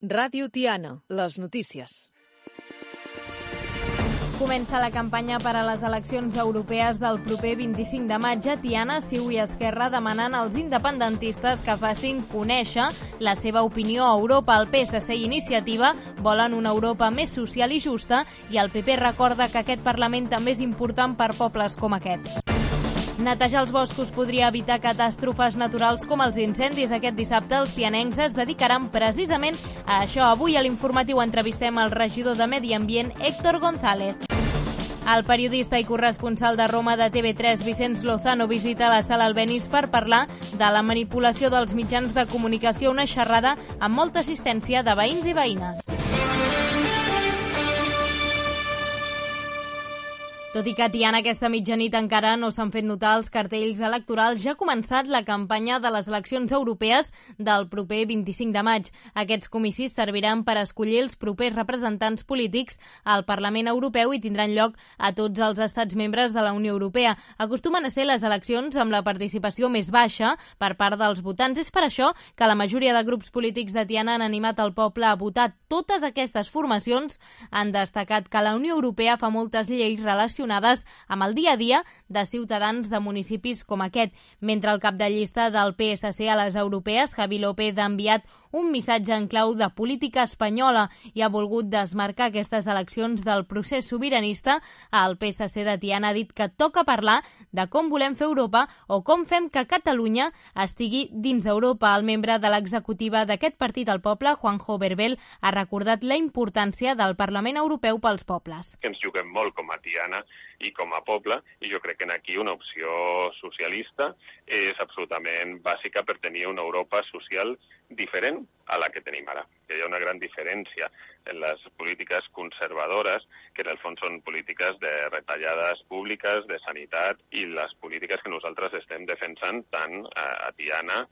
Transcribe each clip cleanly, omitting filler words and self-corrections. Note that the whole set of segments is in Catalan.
Ràdio Tiana, les notícies. Comença la campanya per a les eleccions europees del proper 25 de maig a Tiana, CiU i Esquerra demanant als independentistes que facin conèixer la seva opinió a Europa. El PSC i Iniciativa volen una Europa més social i justa i el PP recorda que aquest Parlament també és important per pobles com aquest. Netejar els boscos podria evitar catàstrofes naturals com els incendis. Aquest dissabte els tianencs es dedicaran precisament a això. Avui a l'Informatiu entrevistem el regidor de Medi Ambient, Héctor González. El periodista i corresponsal de Roma de TV3, Vicenç Lozano, visita la Sala Albéniz per parlar de la manipulació dels mitjans de comunicació, una xerrada amb molta assistència de veïns i veïnes. Tot i que a Tiana aquesta mitjanit encara no s'han fet notar els cartells electorals, ja ha començat la campanya de les eleccions europees del proper 25 de maig. Aquests comicis serviran per escollir els propers representants polítics al Parlament Europeu i tindran lloc a tots els estats membres de la Unió Europea. Acostumen a ser les eleccions amb la participació més baixa per part dels votants. És per això que la majoria de grups polítics de Tiana han animat el poble a votar. Totes aquestes formacions han destacat que la Unió Europea fa moltes lleis relacionades amb el dia a dia de ciutadans de municipis com aquest. Mentre el cap de llista del PSC a les europees, Javi López, ha enviat un missatge en clau de política espanyola i ha volgut desmarcar aquestes eleccions del procés sobiranista. El PSC de Tiana ha dit que toca parlar de com volem fer Europa o com fem que Catalunya estigui dins Europa. El membre de l'executiva d'aquest partit al poble, Juanjo Berbel, ha recordat la importància del Parlament Europeu pels pobles. Ens juguem molt com a Tiana i com a poble, i jo crec que aquí una opció socialista és absolutament bàsica per tenir una Europa social diferent a la que tenim ara. Que hi ha una gran diferència en les polítiques conservadores, que en el fons són polítiques de retallades públiques, de sanitat, i les polítiques que nosaltres estem defensant tant a Tiana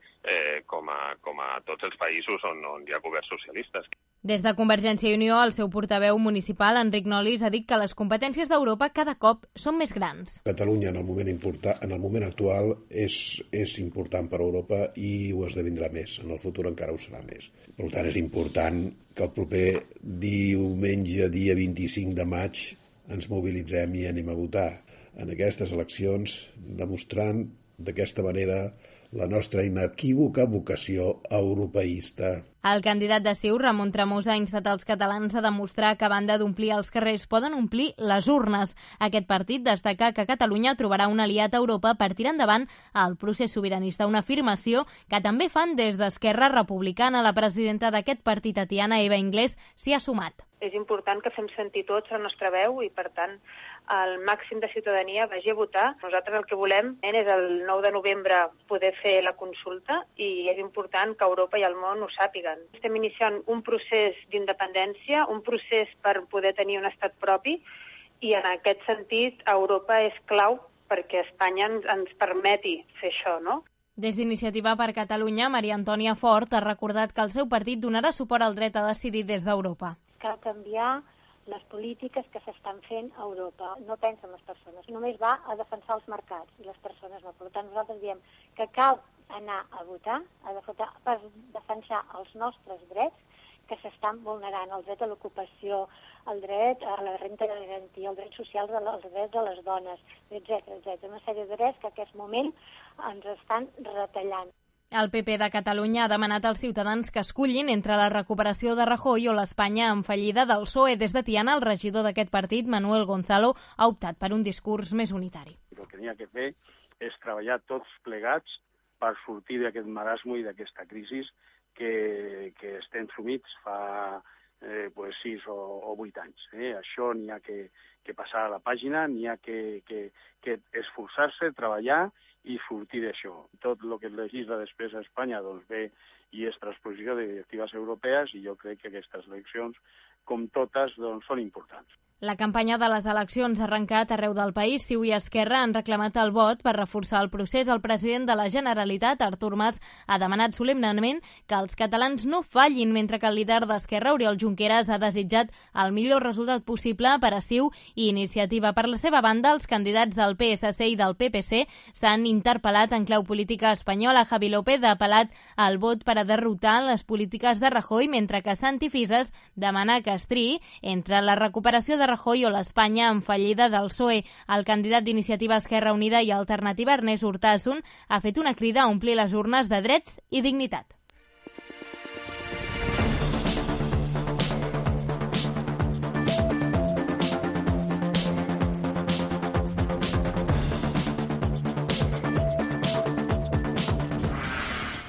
com a tots els països on hi ha governs socialistes. Des de Convergència i Unió, el seu portaveu municipal, Enric Nolis, ha dit que les competències d'Europa cada cop són més grans. Catalunya en el moment actual és important per a Europa i ho esdevindrà més. En el futur encara ho serà més. Per tant, és important que el proper diumenge, dia 25 de maig, ens mobilitzem i anem a votar en aquestes eleccions, demostrant d'aquesta manera la nostra inequívoca vocació europeista. El candidat de CiU, Ramon Tremosa, ha instat els catalans a demostrar que a banda d'omplir els carrers poden omplir les urnes. Aquest partit destaca que Catalunya trobarà un aliat a Europa per tirar endavant el procés sobiranista, una afirmació que també fan des d'Esquerra Republicana. La presidenta d'aquest partit a Tiana, Eva Inglés, s'hi ha sumat. És important que fem sentir tots la nostra veu i, per tant, el màxim de ciutadania vagi a votar. Nosaltres el que volem és el 9 de novembre poder fer la consulta i és important que Europa i el món ho sàpiguen. Estem iniciant un procés d'independència, un procés per poder tenir un estat propi i en aquest sentit Europa és clau perquè Espanya ens permeti fer això, no? Des d'Iniciativa per Catalunya, Maria Antònia Fort ha recordat que el seu partit donarà suport al dret a decidir des d'Europa. Cal canviar les polítiques que s'estan fent a Europa. No pensa en les persones, només va a defensar els mercats i les persones no. Per tant, nosaltres diem que cal anar a votar per defensar els nostres drets que s'estan vulnerant, el dret a l'ocupació, el dret a la renda de garantia, el dret social, els drets de les dones, etc. Una sèrie de drets que en aquest moment ens estan retallant. El PP de Catalunya ha demanat als ciutadans que escullin entre la recuperació de Rajoy o l'Espanya en fallida del PSOE. Des de Tiana, el regidor d'aquest partit, Manuel Gonzalo, ha optat per un discurs més unitari. El que n'hi ha que fer és treballar tots plegats per sortir d'aquest marasme i d'aquesta crisi que estem sumits fa 6 o 8 anys. Això n'hi ha que passar a la pàgina, n'hi ha que esforçar-se, treballar i sortir d'això. Tot el que es legisla després a Espanya doncs ve i és transposició de directives europees i jo crec que aquestes eleccions, com totes, doncs, són importants. La campanya de les eleccions ha arrencat arreu del país. CiU i Esquerra han reclamat el vot per reforçar el procés. El president de la Generalitat, Artur Mas, ha demanat solemnement que els catalans no fallin, mentre que el líder d'Esquerra, Oriol Junqueras, ha desitjat el millor resultat possible per a CiU i Iniciativa. Per la seva banda, els candidats del PSC i del PPC s'han interpel·lat en clau política espanyola. Javi López ha apel·lat al vot per per a derrotar les polítiques de Rajoy, mentre que Santi Fisas demana que es triï entre la recuperació de Rajoy o l'Espanya en fallida del PSOE. El candidat d'Iniciativa Esquerra Unida i Alternativa, Ernest Urtasun, ha fet una crida a omplir les urnes de drets i dignitat.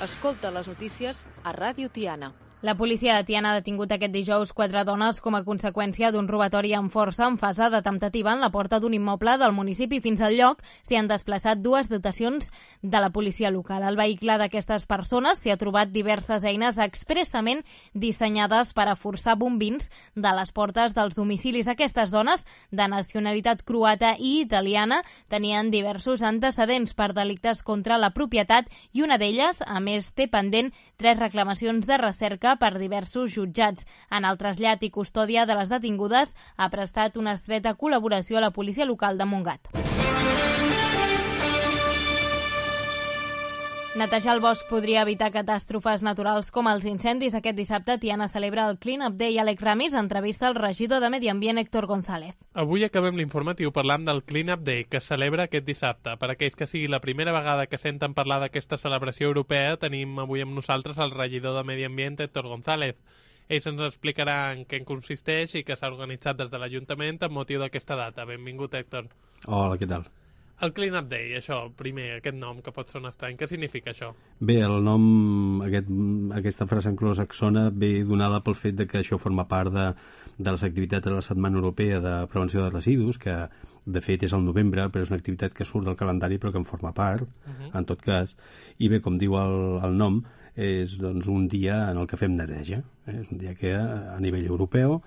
Escolta les notícies a Ràdio Tiana. La policia de Tiana ha detingut aquest dijous 4 dones com a conseqüència d'un robatori amb força en fase de temptativa en la porta d'un immoble del municipi. Fins al lloc s'hi han desplaçat 2 dotacions de la policia local. Al vehicle d'aquestes persones s'hi ha trobat diverses eines expressament dissenyades per a forçar bombins de les portes dels domicilis. Aquestes dones, de nacionalitat croata i italiana, tenien diversos antecedents per delictes contra la propietat i una d'elles, a més, té pendent 3 reclamacions de recerca per diversos jutjats. En el trasllat i custòdia de les detingudes ha prestat una estreta col·laboració a la policia local de Montgat. Netejar el bosc podria evitar catàstrofes naturals com els incendis. Aquest dissabte Tiana celebra el Clean Up Day. Alec Ramis entrevista el regidor de Medi Ambient, Héctor González. Avui acabem l'informatiu parlant del Clean Up Day, que es celebra aquest dissabte. Per aquells que sigui la primera vegada que senten parlar d'aquesta celebració europea, tenim avui amb nosaltres el regidor de Medi Ambient, Héctor González. Ells ens explicaran en què consisteix i que s'ha organitzat des de l'Ajuntament amb motiu d'aquesta data. Benvingut, Héctor. Hola, què tal? El Clean Up Day, això, primer, aquest nom que pot sonar estrany, què significa això? Bé, el nom, aquesta frase anglosaxona ve donada pel fet de que això forma part de les activitats de la Setmana Europea de Prevenció de Residus, que de fet és al novembre, però és una activitat que surt del calendari però que en forma part, en tot cas. I bé, com diu el nom, és doncs, un dia en el que fem neteja. És un dia que a nivell europeu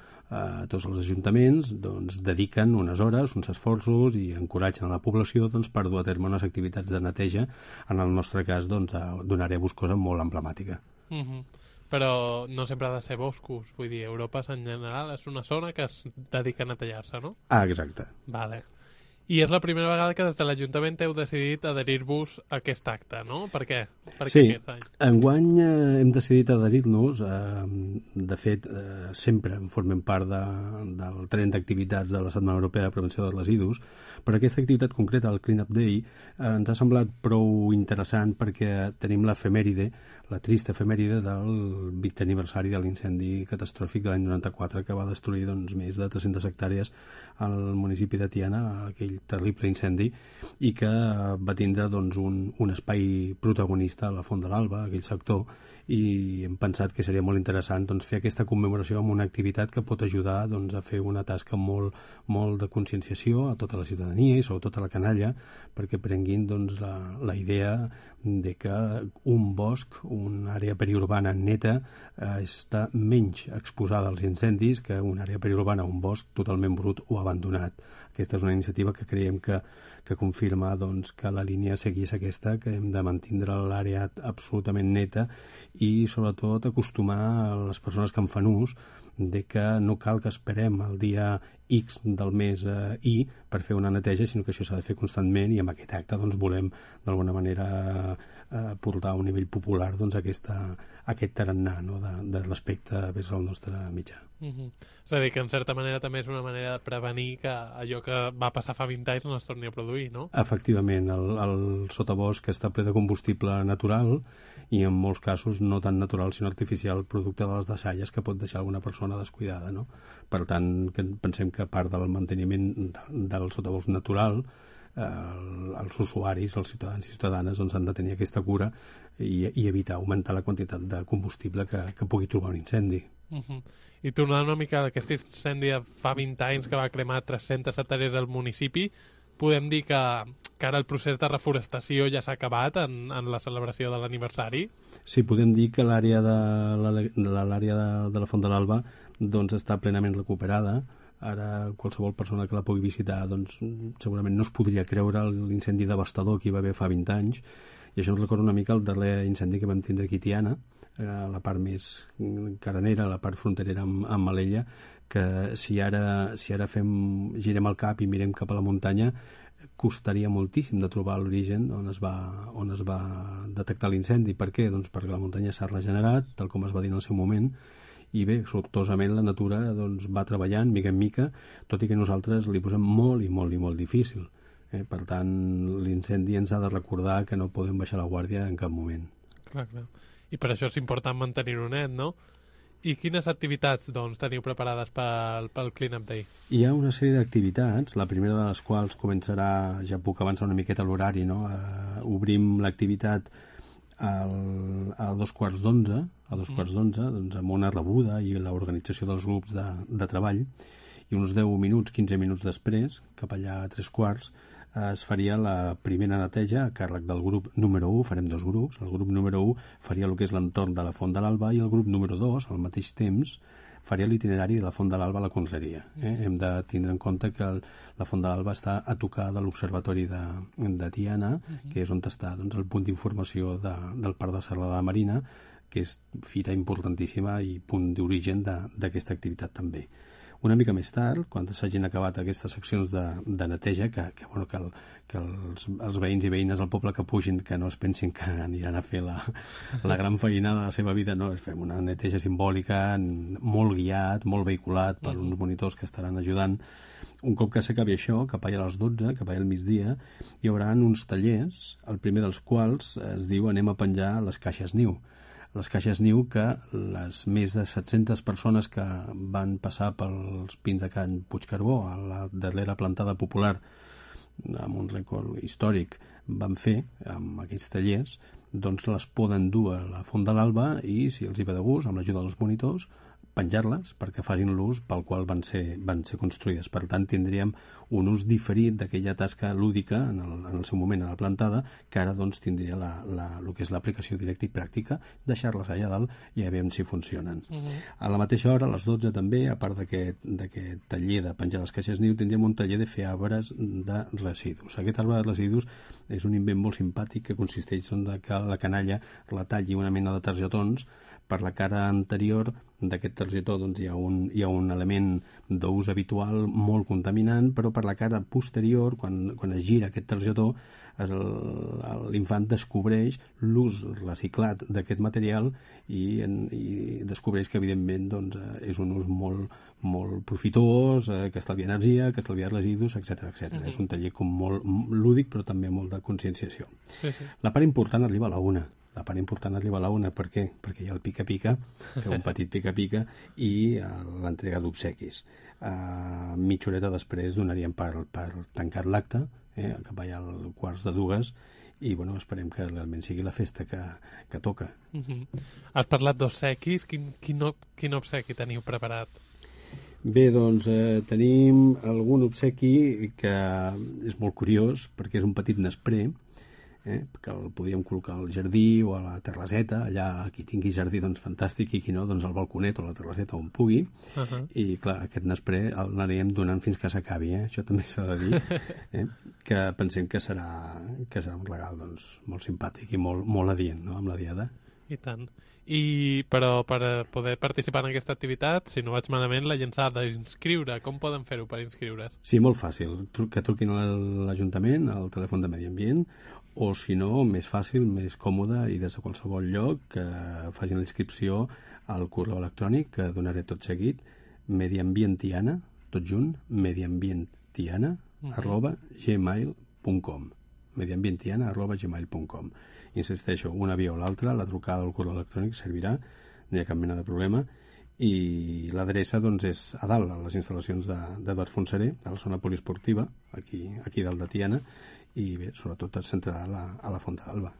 tots els ajuntaments doncs, dediquen unes hores, uns esforços i encoratgen a la població doncs, per dur a terme unes activitats de neteja, en el nostre cas doncs, d'una àrea boscosa molt emblemàtica. Però no sempre ha de ser boscos, vull dir, Europa en general és una zona que es dedica a netejar-se, no? Ah, exacte. Vale. I és la primera vegada que des de l'Ajuntament heu decidit adherir-vos a aquest acte, no? Per què? Sí, enguany hem decidit adherir-nos. De fet, sempre formem part del tren d'activitats de la Setmana Europea de Prevenció de Residus. Per aquesta activitat concreta, el Clean Up Day, ens ha semblat prou interessant perquè tenim l'efemèride, la trista efemèride del 20è aniversari de l'incendi catastròfic de l'any 94 que va destruir doncs, més de 300 hectàrees al municipi de Tiana, aquell terrible incendi, i que va tindre doncs, un espai protagonista a la Font de l'Alba, aquell sector, i hem pensat que seria molt interessant doncs, fer aquesta commemoració amb una activitat que pot ajudar doncs, a fer una tasca molt de conscienciació a tota la ciutadania i sobretot a la canalla, perquè prenguin doncs, la idea de que un bosc, una àrea periurbana neta, està menys exposada als incendis que una àrea periurbana, un bosc totalment brut o abandonat. Aquesta és una iniciativa que creiem que confirma doncs, que la línia a seguir és aquesta, que hem de mantindre l'àrea absolutament neta i sobretot acostumar a les persones que en fan ús de que no cal que esperem el dia X del mes I per fer una neteja, sinó que això s'ha de fer constantment i amb aquest acte doncs, volem d'alguna manera portar a un nivell popular doncs, aquest tarannà no? de l'aspecte vers el nostre mitjà. És a dir, que en certa manera també és una manera de prevenir que allò que va passar fa 20 anys no es torni a produir, no? Efectivament, el sotabosc està ple de combustible natural i en molts casos no tan natural sinó artificial, producte de les deixalles que pot deixar alguna persona descuidada, no? Per tant, pensem que part del manteniment del sotabosc natural els usuaris, els ciutadans i ciutadanes doncs, han de tenir aquesta cura i evitar augmentar la quantitat de combustible que pugui trobar un incendi. I tornant una mica a aquest incendi de fa 20 anys que va cremar 300 hectàrees del municipi, podem dir que ara el procés de reforestació ja s'ha acabat en la celebració de l'aniversari? Sí, podem dir que l'àrea de la Font de l'Alba doncs, està plenament recuperada. Ara qualsevol persona que la pugui visitar doncs, segurament no es podria creure l'incendi devastador que hi va haver fa 20 anys, i això ens recorda una mica el darrer incendi que vam tindre aquí a Tiana, a la part més caranera, a la part fronterera amb Alella, que si ara girem el cap i mirem cap a la muntanya, costaria moltíssim de trobar l'origen on es va detectar l'incendi. Per què? Doncs perquè la muntanya s'ha regenerat, tal com es va dir en el seu moment, i bé, sortosament la natura doncs, va treballant mica en mica, tot i que nosaltres li posem molt i molt difícil. Per tant, l'incendi ens ha de recordar que no podem baixar la guàrdia en cap moment. Clar. I per això és important mantenir-ho net, no? I quines activitats doncs, teniu preparades pel Clean Up Day? Hi ha una sèrie d'activitats, la primera de les quals començarà, ja puc avançar una miqueta l'horari, no? Obrim l'activitat a 11:15, doncs, amb una rebuda i l'organització dels grups de treball, i uns 10 minuts, 15 minuts després, cap allà a 3:15, es faria la primera neteja a càrrec del grup número 1, farem 2 grups. El grup número 1 faria el que és l'entorn de la Font de l'Alba i el grup número 2, al mateix temps, faria l'itinerari de la Font de l'Alba a la Conreria. Hem de tindre en compte que la Font de l'Alba està a tocar de l'Observatori de Tiana, que és on està doncs, el punt d'informació del Parc de Serra de la Marina, que és fita importantíssima i punt d'origen d'aquesta activitat també. Una mica més tard, quan s'hagin acabat aquestes seccions de neteja, que els veïns i veïnes del poble que pugin, que no es pensin que aniran a fer la gran feina de la seva vida, no, fem una neteja simbòlica, molt guiat, molt vehiculat per uns monitors que estaran ajudant. Un cop que s'acabi això, cap allà a les 12, cap allà al migdia, hi haurà uns tallers, el primer dels quals es diu anem a penjar les caixes niu. Les caixes niu que les més de 700 persones que van passar pels pins de Can Puigcarbó a la darrera plantada popular amb un rècord històric van fer amb aquells tallers, doncs les poden dur a la Font de l'Alba i, si els hi ve de gust, amb l'ajuda dels monitors, penjar-les perquè facin l'ús pel qual van ser construïdes. Per tant, tindríem un ús diferit d'aquella tasca lúdica en el seu moment a la plantada, que ara doncs, tindria el que és l'aplicació directa i pràctica, deixar-les allà dalt i a veure si funcionen. A la mateixa hora, a les 12 també, a part d'aquest taller de penjar les caixes niu, tindríem un taller de fer arbres de residus. Aquest arbre de residus és un invent molt simpàtic que consisteix en que la canalla la talli una mena de targetons. Per la cara anterior d'aquest targetó doncs, hi ha un element d'ús habitual molt contaminant, però per la cara posterior, quan es gira aquest targetó, l'infant descobreix l'ús reciclat d'aquest material i descobreix que, evidentment, doncs, és un ús molt profitós, que estalvia energia, que estalvia residus, etc. És un taller molt lúdic, però també molt de conscienciació. La part important arriba a la 1. Per què? Perquè hi ha el pica-pica, fer un petit pica-pica i l'entrega d'obsequis. Mitja horeta després donaríem per tancat l'acte, cap allà al 1:15, i esperem que realment sigui la festa que toca. Has parlat d'obsequis. Quin obsequi teniu preparat? Bé, doncs tenim algun obsequi que és molt curiós, perquè és un petit nesprè, que el podríem col·locar al jardí o a la terrasseta, allà qui tingui jardí doncs fantàstic, i qui no, doncs al balconet o a la terrasseta on pugui. I clar, aquest nesprè l'anirem donant fins que s'acabi, això també s'ha de dir, que pensem que serà un regal doncs, molt simpàtic i molt adient, no?, amb la diada. I tant. Però per poder participar en aquesta activitat, si no vaig malament, la gent s'ha d'inscriure. Com poden fer-ho per inscriure's? Sí, molt fàcil. Que truquin a l'Ajuntament, al telèfon de Medi Ambient, o si no, més fàcil, més còmode i des de qualsevol lloc, que facin la inscripció al correu electrònic, que donaré tot seguit, mediambientiana, tot junt, mediambientiana@gmail.com mediambientiana@gmail.com. Insisteixo, una via o l'altra, la trucada al correu electrònic servirà, no hi ha cap mena de problema, i l'adreça doncs, és a dalt, a les instal·lacions d'Eduard Fontseré, a la zona poliesportiva, aquí dalt de Tiana, i bé, sobretot es centrarà a la Font de l'Alba.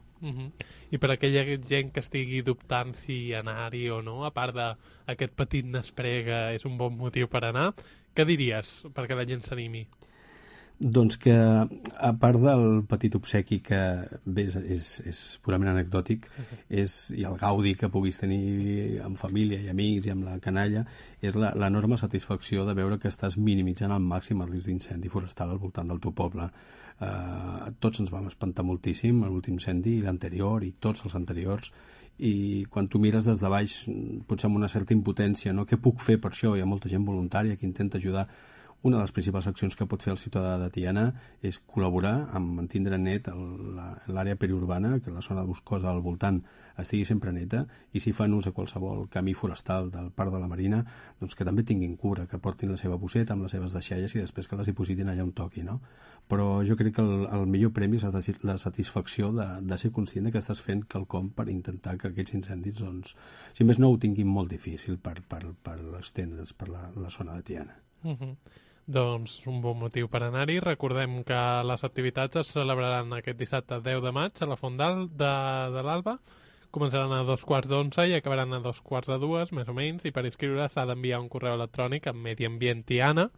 I per aquella gent que estigui dubtant si anar-hi o no, a part d'aquest petit nesprè que és un bon motiu per anar, què diries perquè la gent s'animi? Doncs que, a part del petit obsequi que bé, és purament anecdòtic, i el gaudi que puguis tenir amb família i amics i amb la canalla, és l'enorme satisfacció de veure que estàs minimitzant al màxim el risc d'incendi forestal al voltant del teu poble. Tots ens vam espantar moltíssim l'últim incendi i l'anterior i tots els anteriors, i quan tu mires des de baix, potser amb una certa impotència, no? Què puc fer per això? Hi ha molta gent voluntària que intenta ajudar una de les principals accions que pot fer el ciutadà de Tiana és col·laborar amb mantindre net l'àrea periurbana, que la zona boscosa al voltant estigui sempre neta, i si fan ús de qualsevol camí forestal del Parc de la Marina, doncs que també tinguin cura, que portin la seva bosseta amb les seves deixalles i després que les dipositin allà on toqui, no? Però jo crec que el millor premi és la satisfacció de ser conscient que estàs fent quelcom per intentar que aquests incendis, doncs, si més no, ho tinguin molt difícil per estendre's per la zona de Tiana. Doncs un bon motiu per anar-hi. Recordem que les activitats es celebraran aquest dissabte 10 de maig a la Font de l'Alba. Començaran a 2:15 i acabaran a 2:45, més o menys, i per inscriure s'ha d'enviar un correu electrònic amb Mediambient Tiana,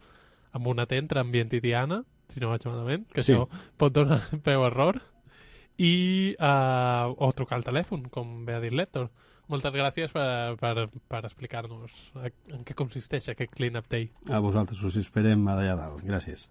amb un atent entre ambient i Tiana, si no vaig malament, que sí. Això pot donar peu a error, o trucar al telèfon, com bé ha dit l'Héctor. Moltes gràcies per explicar-nos en què consisteix aquest Clean Up Day. A vosaltres us esperem allà dalt. Gràcies.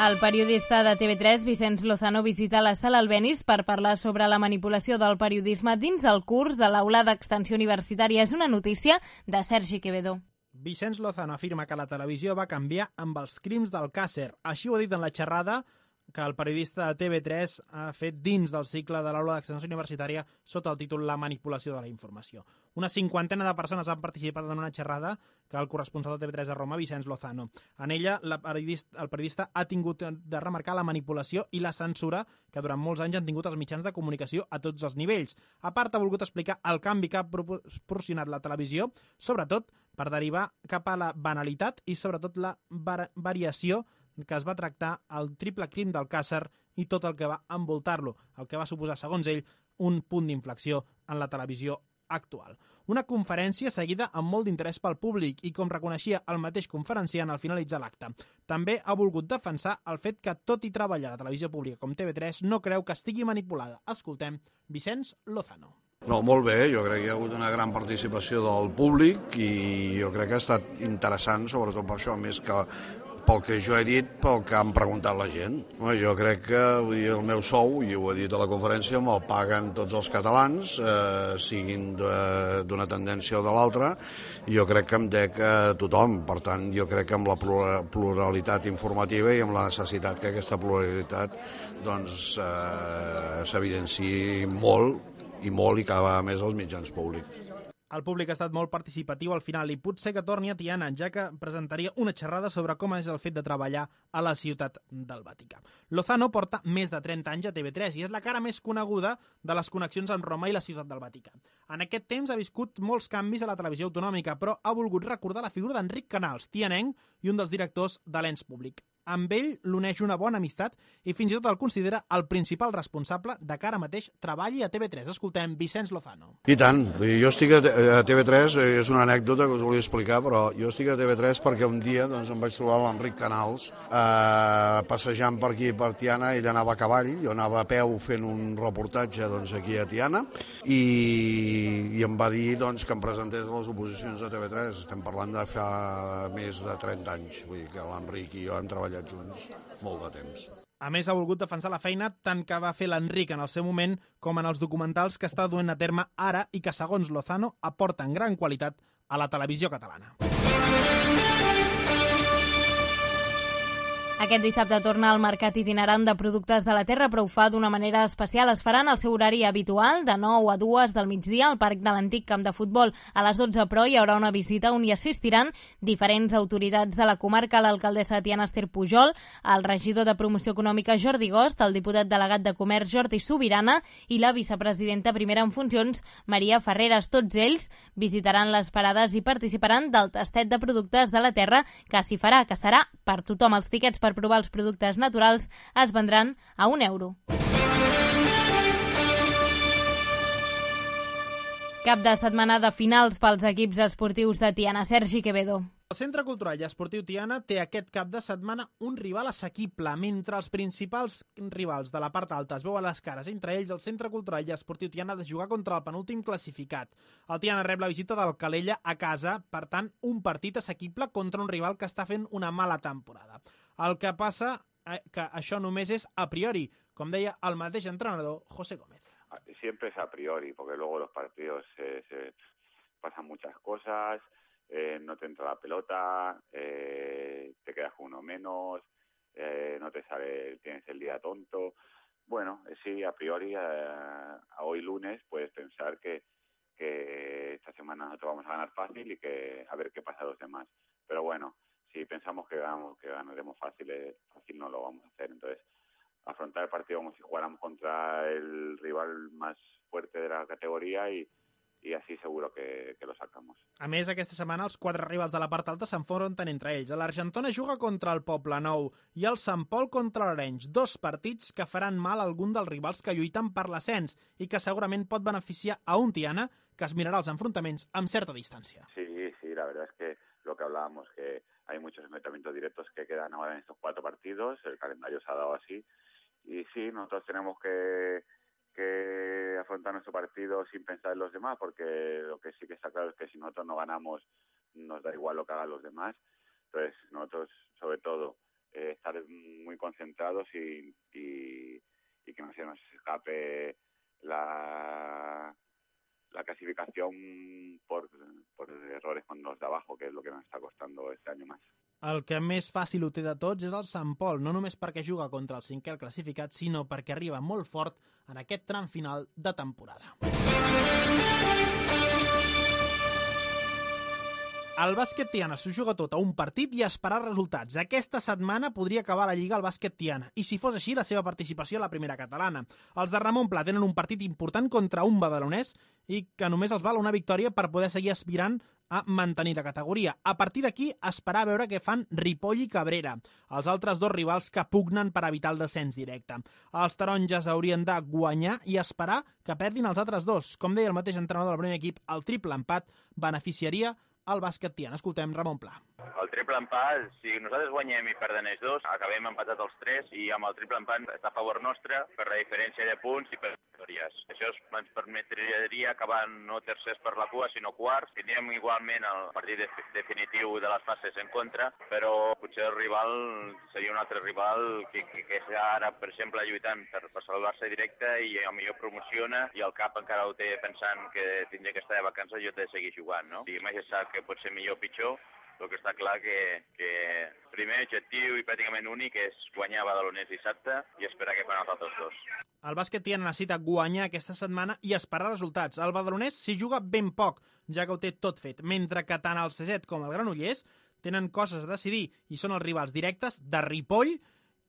El periodista de TV3, Vicenç Lozano, visita la Sala Albéniz per parlar sobre la manipulació del periodisme dins el curs de l'Aula d'Extensió Universitària. És una notícia de Sergi Quevedo. Vicenç Lozano afirma que la televisió va canviar amb els crims d'Alcàsser. Així ho ha dit en la xerrada que el periodista de TV3 ha fet dins del cicle de l'Aula d'Extensió Universitària sota el títol La manipulació de la informació. Una 50 de persones han participat en una xerrada que el corresponsal de TV3 a Roma, Vicenç Lozano. En ella, el periodista ha tingut de remarcar la manipulació i la censura que durant molts anys han tingut els mitjans de comunicació a tots els nivells. A part, ha volgut explicar el canvi que ha proporcionat la televisió, sobretot per derivar cap a la banalitat i sobretot la variació que es va tractar el triple crim d'Alcàsser i tot el que va envoltar-lo, el que va suposar, segons ell, un punt d'inflexió en la televisió actual. Una conferència seguida amb molt d'interès pel públic i, com reconeixia el mateix conferenciant al finalitzar l'acte, també ha volgut defensar el fet que, tot i treballar a la televisió pública com TV3, no creu que estigui manipulada. Escoltem Vicenç Lozano. No, molt bé, jo crec que hi ha hagut una gran participació del públic i jo crec que ha estat interessant, sobretot per això, més que pel que jo he dit, pel que han preguntat la gent. Jo crec que el meu sou, i ho he dit a la conferència, me'l paguen tots els catalans, siguin d'una tendència o de l'altra, i jo crec que em dec a tothom. Per tant, jo crec que amb la pluralitat informativa i amb la necessitat que aquesta pluralitat s'evidenciï molt i cada vegada més als mitjans públics. El públic ha estat molt participatiu al final i potser que torni a Tiana, ja que presentaria una xerrada sobre com és el fet de treballar a la ciutat del Vaticà. Lozano porta més de 30 anys a TV3 i és la cara més coneguda de les connexions amb Roma i la ciutat del Vaticà. En aquest temps ha viscut molts canvis a la televisió autonòmica, però ha volgut recordar la figura d'Enric Canals, tianenc i un dels directors de l'ens públic. Amb ell l'uneix una bona amistat i fins i tot el considera el principal responsable de que ara mateix treballi a TV3. Escoltem Vicenç Lozano. I tant. Jo estic a TV3, és una anècdota que us volia explicar, però jo estic a TV3 perquè un dia em vaig trobar l'Enric Canals passejant per aquí, per Tiana. Ell anava a cavall, jo anava a peu fent un reportatge aquí a Tiana i em va dir que em presentés a les oposicions de TV3. Estem parlant de fa més de 30 anys. Vull dir que l'Enric i jo hem treballat junts molt de temps. A més, ha volgut defensar la feina tant que va fer l'Enric en el seu moment com en els documentals que està duent a terme ara i que, segons Lozano, aporten gran qualitat a la televisió catalana. Aquest dissabte torna al mercat itinerant de productes de la terra, però ho fa d'una manera especial. Es farà en el seu horari habitual, de 9 a 2 del migdia, al Parc de l'Antic Camp de Futbol. A les 12, però, hi haurà una visita on hi assistiran diferents autoritats de la comarca, l'alcaldessa de Tiana, Esther Pujol, el regidor de Promoció Econòmica, Jordi Gost, el diputat delegat de Comerç, Jordi Sobirana, i la vicepresidenta primera en funcions, Maria Ferreres. Tots ells visitaran les parades i participaran del tastet de productes de la terra que s'hi farà, que serà per tothom. Els tiquets per provar els productes naturals es vendran a €1. Cap de setmana de finals pels equips esportius de Tiana. Sergi Quevedo. El Centre Cultural i Esportiu Tiana té aquest cap de setmana un rival assequible. Mentre els principals rivals de la part alta es veuen les cares entre ells, el Centre Cultural i Esportiu Tiana ha de jugar contra el penúltim classificat. El Tiana rep la visita del Calella a casa, per tant, un partit assequible contra un rival que està fent una mala temporada. El que passa que això només és a priori, com deia el mateix entrenador José Gómez. Siempre es a priori, porque luego los partidos se pasan muchas cosas no te entra la pelota, te quedas con uno menos, no te sale, tienes el día tonto. Bueno, sí, a priori, a hoy lunes puedes pensar que esta semana nosotros vamos a ganar fácil y que a ver qué pasa a los demás. Pero bueno, si pensamos que ganaremos fácil no lo vamos a hacer. Entonces, afrontar el partido como si jugáramos contra el rival más fuerte de la categoría i així seguro que lo sacamos. A més, aquesta setmana els 4 rivals de la part alta s'enfronten entre ells. L'Argentona juga contra el Poblenou i el Sant Pol contra l'Arenys, 2 partits que faran mal a algun dels rivals que lluiten per l'ascens i que segurament pot beneficiar a un Tiana que es mirarà els enfrontaments amb certa distància. Sí, la verdad es que lo que hablábamos, que hay muchos enfrentamientos directos que quedan ahora en estos 4 partidos, el calendario se ha dado así, y sí, nosotros tenemos que afrontar nuestro partido sin pensar en los demás, porque lo que sí que está claro es que si nosotros no ganamos, nos da igual lo que hagan los demás. Entonces, nosotros, sobre todo, estar muy concentrados y que no se nos escape la clasificación por errores con los de abajo, que es lo que nos está costando este año más. El que més fàcil ho té de tots és el Sant Pol, no només perquè juga contra el 5è classificat, sinó perquè arriba molt fort en aquest tram final de temporada. El bàsquet Tiana s'ho juga tot a un partit i a esperar resultats. Aquesta setmana podria acabar la Lliga al bàsquet Tiana, i si fos així, la seva participació a la primera catalana. Els de Ramon Pla tenen un partit important contra un badalonès i que només els val una victòria per poder seguir aspirant a mantenir la categoria. A partir d'aquí, esperar a veure què fan Ripoll i Cabrera, els altres 2 rivals que pugnen per evitar el descens directe. Els taronges haurien de guanyar i esperar que perdin els altres 2. Com deia el mateix entrenador del primer equip, el triple empat beneficiaria el bàsquet Tiana. Escoltem Ramon Pla. El triple empat, si nosaltres guanyem i perden ells 2, acabem empatat els 3 i amb el triple empat està a favor nostre per la diferència de punts i per victòries. Això ens permetria acabar no tercers per la cua, sinó quarts. Tindríem igualment el partit definitiu de les fases en contra, però potser el rival seria un altre rival que està ara, per exemple, lluitant per salvar-se directe i potser promociona i el cap encara ho té pensant que tindria que estar de vacances i jo he de seguir jugant, no? I mai se sap que pot ser millor o pitjor, el que està clar que primer objectiu i pràcticament únic és guanyar Badalonès dissabte i esperar que fan els altres 2. El bàsquet Tiana necessita guanyar aquesta setmana i esperar resultats. El Badalonès s'hi juga ben poc, ja que ho té tot fet, mentre que tant el Ceset com el Granollers tenen coses a decidir i són els rivals directes de Ripoll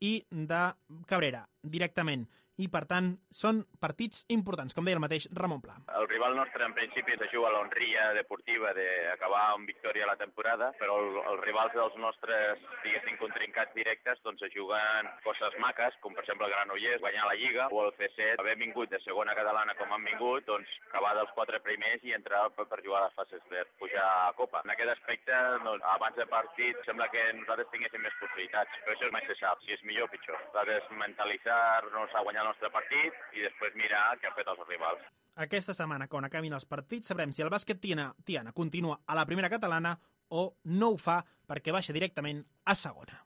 i de Cabrera, directament. I, per tant, són partits importants, com deia el mateix Ramon Pla. El rival nostre, en principi, se juga a l'honria deportiva d'acabar amb victòria a la temporada, però els rivals dels nostres, diguéssim, contrincats directes, doncs se juguen coses maques, com per exemple el Granollers, guanyar la Lliga, o el C7, haver vingut de segona catalana com han vingut, doncs acabar dels 4 primers i entrar per jugar a les fases per pujar a Copa. En aquest aspecte, doncs, abans del partit, sembla que nosaltres tinguéssim més possibilitats, però això mai se sap, si és millor o pitjor. Nosaltres mentalitzar-nos a guanyar el nostre partit i després mirar què han fet els rivals. Aquesta setmana, quan acabin els partits, sabrem si el bàsquet Tiana continua a la primera catalana o no ho fa perquè baixa directament a segona.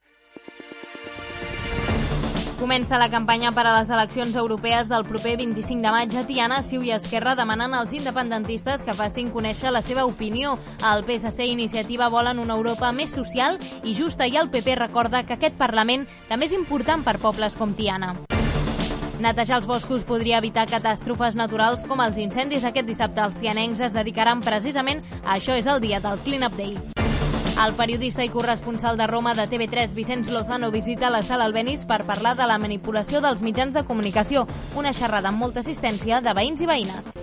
Comença la campanya per a les eleccions europees del proper 25 de maig a Tiana. CiU i Esquerra demanen als independentistes que facin conèixer la seva opinió. El PSC i Iniciativa volen una Europa més social i justa i el PP recorda que aquest Parlament també és important per pobles com Tiana. Netejar els boscos podria evitar catàstrofes naturals com els incendis. Aquest dissabte els tianencs es dedicaran precisament a això. És el dia del Clean Up Day. El periodista i corresponsal de Roma de TV3, Vicenç Lozano, visita la Sala Albéniz per parlar de la manipulació dels mitjans de comunicació. Una xerrada amb molta assistència de veïns i veïnes.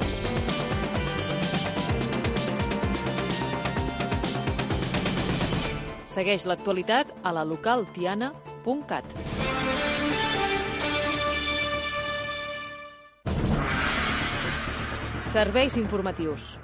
Segueix l'actualitat a la localtiana.cat. Serveis informatius.